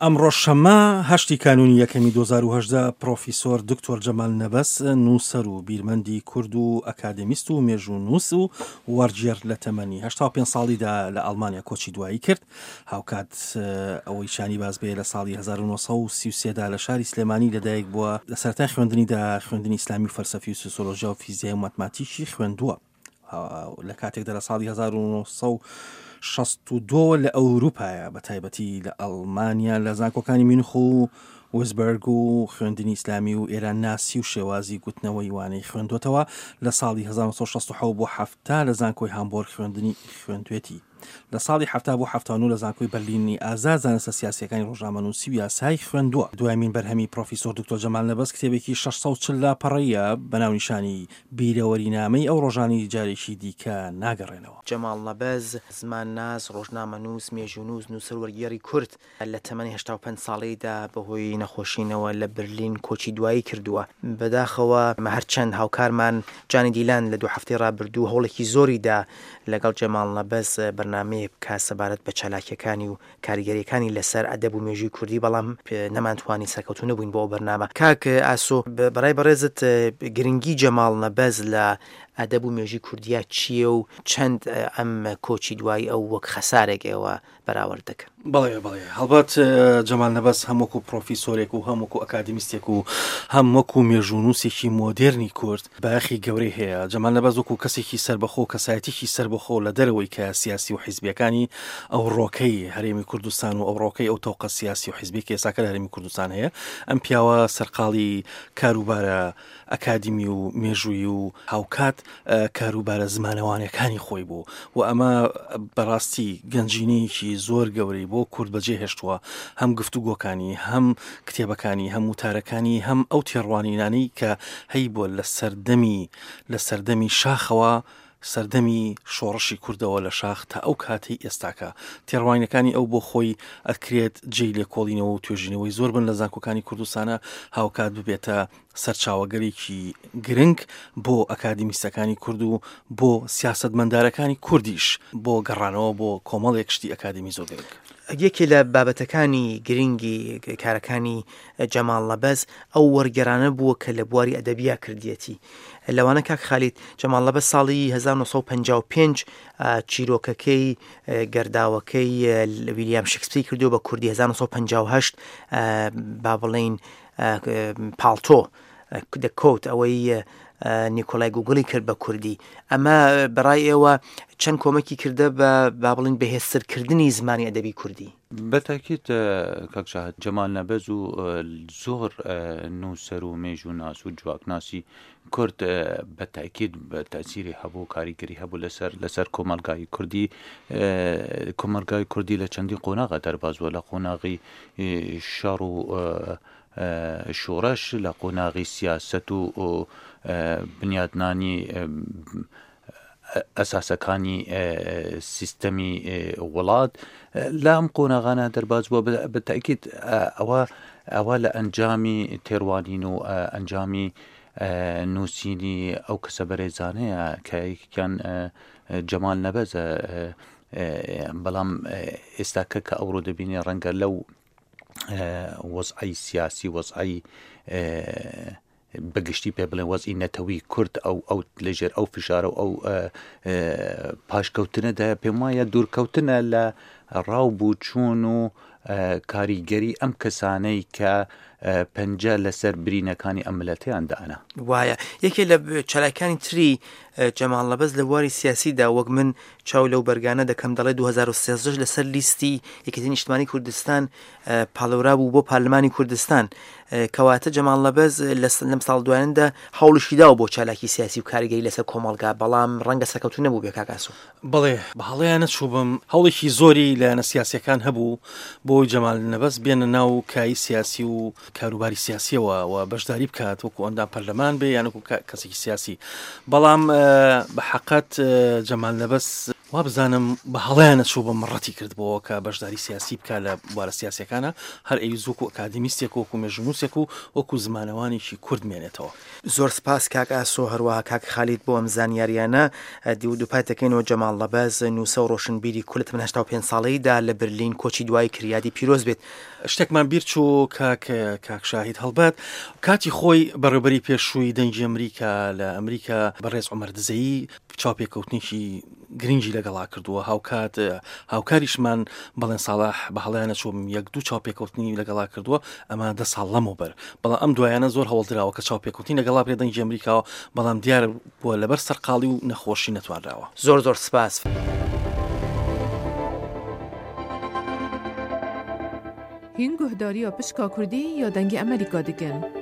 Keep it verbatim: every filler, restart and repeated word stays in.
ئەمڕۆ شەممە هەشتی کانوونی یەکەمی دوو هەزار و هەژدە پرۆفیسۆر دکتۆر جەمال نەبەز، نووسەر و بیرمەندی کورد و ئەکادێمیست و مێژوونووس و وەرگێڕ لە تەمەنی هەشتا و پێنج ساڵیدا لە ئەڵمانیا کۆچی دوایی کرد. هاوکات ئەوەی شانی باس بێ لە ساڵی هەزار و نۆ سەد و سی و سێ دا لە شاری سلێمانی لەدایک بووە. لە سەرەتای خوێندنیدا خوێندنی ئیسلامی و فەلسەفی و سۆسیۆلۆژیا و فیزیای و ماتماتیکی خوێندووە. لە کاتێکدا لە ساڵی هەزار و نۆ سەد و شەست و دوو لە ئەوروپایە، بە تایبەتی لە ئەڵمانیا لە زانکۆکانی مینخ و وزبەرگ و خوێندنی ئیسلامی و ئێران ناسی و شێوازی گوتنەوەی وانەی خوێندوتەوە. لە ساڵی هەزار و نۆ سەد و شەست و حەوت بۆ حەفتا لە زانکۆی هامبۆرگ خوێندنی خوێندوێتی. لە ساڵی حەفتا بۆ حەفتا و نۆ لە زانکۆی بەرلینی ئازاد زانستە سیاسیەکانی ڕۆژنامەنووسی و یاسای خوێندووە. دوایمین بەرهەمی پرۆفیسۆر دکتۆر جەمال نەبەز کتێبێکی شەش سەد و چل لاپەڕەیە بە ناونیشانی بیرەوەرینامەی ئەو ڕۆژانی جارێکی دیکە ناگەڕێنەوە. جەمال نەبەز زمانناس، ڕۆژنامەنووس، مێژوونووس، نووسەر وەرگێڕی کورد لە تەمەنی هەشتا و پێنج ساڵیدا بەهۆی نەخۆشینەوە لە برلین کۆچی دوایی کردووە. بەداخەوە هەرچەند هاوکارمان جانی دیلان لە دوو هەفتەی ڕابردوو هەوڵێکی زۆریدا لەگەڵ جەمال نەبەز بەرنامەیە بکات سەبارەت بە چالاکیەکانی و کاریگەریەکانی لەسەر ئەدەب و مێژووی کوردی، بەڵام نەمانتوانی سەرکەوتوو نەبووین بۆ ئەو بەرنامە. کاک ئاسۆ، بەڕای بەڕێزت گرنگی جەمال نەبەز لە ئەدەب و مێژووی کوردیا چییە و چەند ئەم کۆچی دوایی ئەو وەک خەسارێک ئێوە بەراورد دەکەن؟ بەڵێ، بەڵێ، هەڵبەت جەمال نەبەز هەم وەکو پرۆفیسۆرێک و هەم وەکو ئەکادیمیستێک و هەم وەکو مێژوونووسێکی مۆدێرنی کورد بایەخی گەورەی هەیە. جەمال نەبەز وەکو کەسێکی سربەخۆ، کەسایەتێکی سربەخۆ لە دەرەوەی کە سیاسی و حیزبیەکانی ئەو ڕۆکەی هەرێمی کوردستان و ئەو ڕۆکەی ئەو تەوقە سیاسی و حیزبی کە ئێستاکە لە هەرێمی کوردستان هەیە، ئەم پیاوە سەرقاڵی کاروبارە ئەکادیمی و مێژوویی و هاوکات کاروبارە زمانەوانەکانی خۆی بوو و ئەمە بەڕاستی گەنجینەیەکی زۆر گەورەی بۆ کورد بەجێهێشتووە. هەم گفتوگۆکانی، هەم کتێبەکانی، هەم وتارەکانی، هەم ئەو تێڕوانینانەی کە هەیبووە لە سەردەمی، لە سەردەمی شاخەوە، سەردەمی شۆڕشی کوردەوە لە شاخ تا ئەو کاتەی ئێستاکە. تێڕوانینەکانی ئەو بۆ خۆی ئەکرێت جێی لێکۆڵینەوە و توێژینەوەی زۆر بن لە زانکۆکانی کوردستانە، هاوکات ببێتە سەرچاوەگەرێکی گرنگ بۆ ئەکادیمیستەکانی کورد و بۆ سیاسەتمەندارەکانی کوردیش بۆ گەڕانەوە بۆ کۆمەڵێک شتی ئەکادیمی زۆر گرنگ. یەکێ لە بابەتەکانی گرنگی کارەکانی جەمال نەبەز ئەو وەرگێڕانە بووە کە لە بواری ئەدەبیا کردیەتی. لەوانە کاک خالید، جەمال نەبەز ساڵی هەزار و نۆ سەد و پەنجا و پێنج چیرۆکەکەی گەرداوەکەی ویلیام شکسپیر کردو بە کوردی هەزار و نۆ سەد و پەنجا و هەشت با بڵێین پاڵتۆ The Coat ئەوەی نیکۆلای گوگڵی کرد بە کوردی. ئەمە بەڕای ئێوە چەند کۆمەکی کردە بە با بڵێین بەهێزترکردنی زمانی ئەدەبی کوردی؟ بەتاکیت کاک شاهد، جەمال نەبەز و زۆر نووسەر و مێژووناس و جواکناسی کورد بە تاکید بە تەسیری هەبوو، کاریگەری هەبوو لەسەر، لەسەر کۆمەلگای کوردی. کۆمەلگای کوردی لە چەندین قۆناغە دەرباز بووە، لە قۆناغی شەڕ و شۆڕش، لە قۆناغی سیاسەت و بنیادنانی ئەساسەکانی سیستەمی وڵات. لەم قۆناغانە دەرباز بووە. بە تاکید ئەوە، ئەوە لە ئەنجامی تێڕوانین و ئەنجامی نووسینی ئەو کەسە بەرێزانەیە کە یەکێکیان جەمال نەبەزە. بەڵام ئێستاکە کە ئەوڕۆ دەبینێ ڕەنگە لەو وەزعی سیاسی، وەزعی بەگشتی پێ بڵێن وەزعی نەتەوی کورد، ئەو، ئەو لەژێر ئەو فشارە و ئەو پاشکەوتنەدا پێم وایە دوورکەوتنە لە ڕاو بووچوون و کاریگەری ئەم کەسانەی کە پەنجە لەسەر برینەکانی ئەم ملەتیان دانا. وایە. یەکێ لە چالاکانی تری جەمال نەبەز لە بواری سیاسیدا وەک من چاو لەو بەرگانە دەکەم دەڵێ دوو هەزار و سێزدە لەسەر لیستی یەکێتی نیشتمانی کوردستان پاڵێورا بوو بۆ پەرلەمانی کوردستان. کەواتە جەمال نەبەز لەم ساڵ دوایاندا هەوڵیشی داوە بۆ چالاکی سیاسی و کاریگەری لەسەر کۆمەڵگا، بەڵام ڕەنگە سەرکەوتوو نەبوو بێ کاک ئاسۆ. بەڵێ، بە هەڵەیان نەچووبم. هەوڵێکی زۆری لایەنە سیاسیەکان هەبوو بۆی جەمال نەبەز بێنە ناو کای سیاسی و کاروباری سیاسیەوە و بەشداری بکات وەکو ئەندام پەرلەمان بێ یان وەکو کەسێکی سیاسی. بەڵام بە حەقەت جەمال نەبەز وابزانم بە هەڵەیانە چوو بە مڕەتی کردبەوە کە بەشداری سیاسی بکە لە بوارە سیاسیەکانە، هەر ئەوی وەکو ئەکادیمیستێک وەکو مێژوونووسێک و وەکو زمانەوانێکی کورد مێنێتەوە. زۆر سپاس کاک ئاسۆ، هەروەها کاک خالید بۆ ئەم زانیاریانە. دووپات دەکەینەوە جەماڵ نەبەز نووسە و ڕۆشنبیری کورد لە تەمەن هەشتا و پێنج ساڵەیدا لە برلین کۆچی دوایی کرد. یادی پیرۆز بێت. شتێکمان بیر چوو کاک کاک شاهید، هەڵبەت کاتی خۆی بەڕێوبەری پێشووی دەنگی ئەمریکا لە ئەمریکا بەڕێز عومەر دزەیی چاوپێکەوتنێکی گرنگی لەگەڵا کردووە. هاوکات هاوکاریشمان بەڵێن ساڵح بە هەڵیانە چووم یەک دوو چاوپێکەوتنی لەگەڵا کردووە، ئەمە دە ساڵ لەمەوبەر. بەڵام ئەم دوایانە زۆر هەوڵدراوە کە چاوپێکەوتنی لەگەڵا بێ دەنگی ئەمریکاوە، بەڵام دیار بووە لەبەر سەرقاڵی و نەخۆشی نەتوانراوە. زۆر زۆر سپاس. هین گوهداریا پشکا کوردی یا دەنگی ئەمریکا دکن.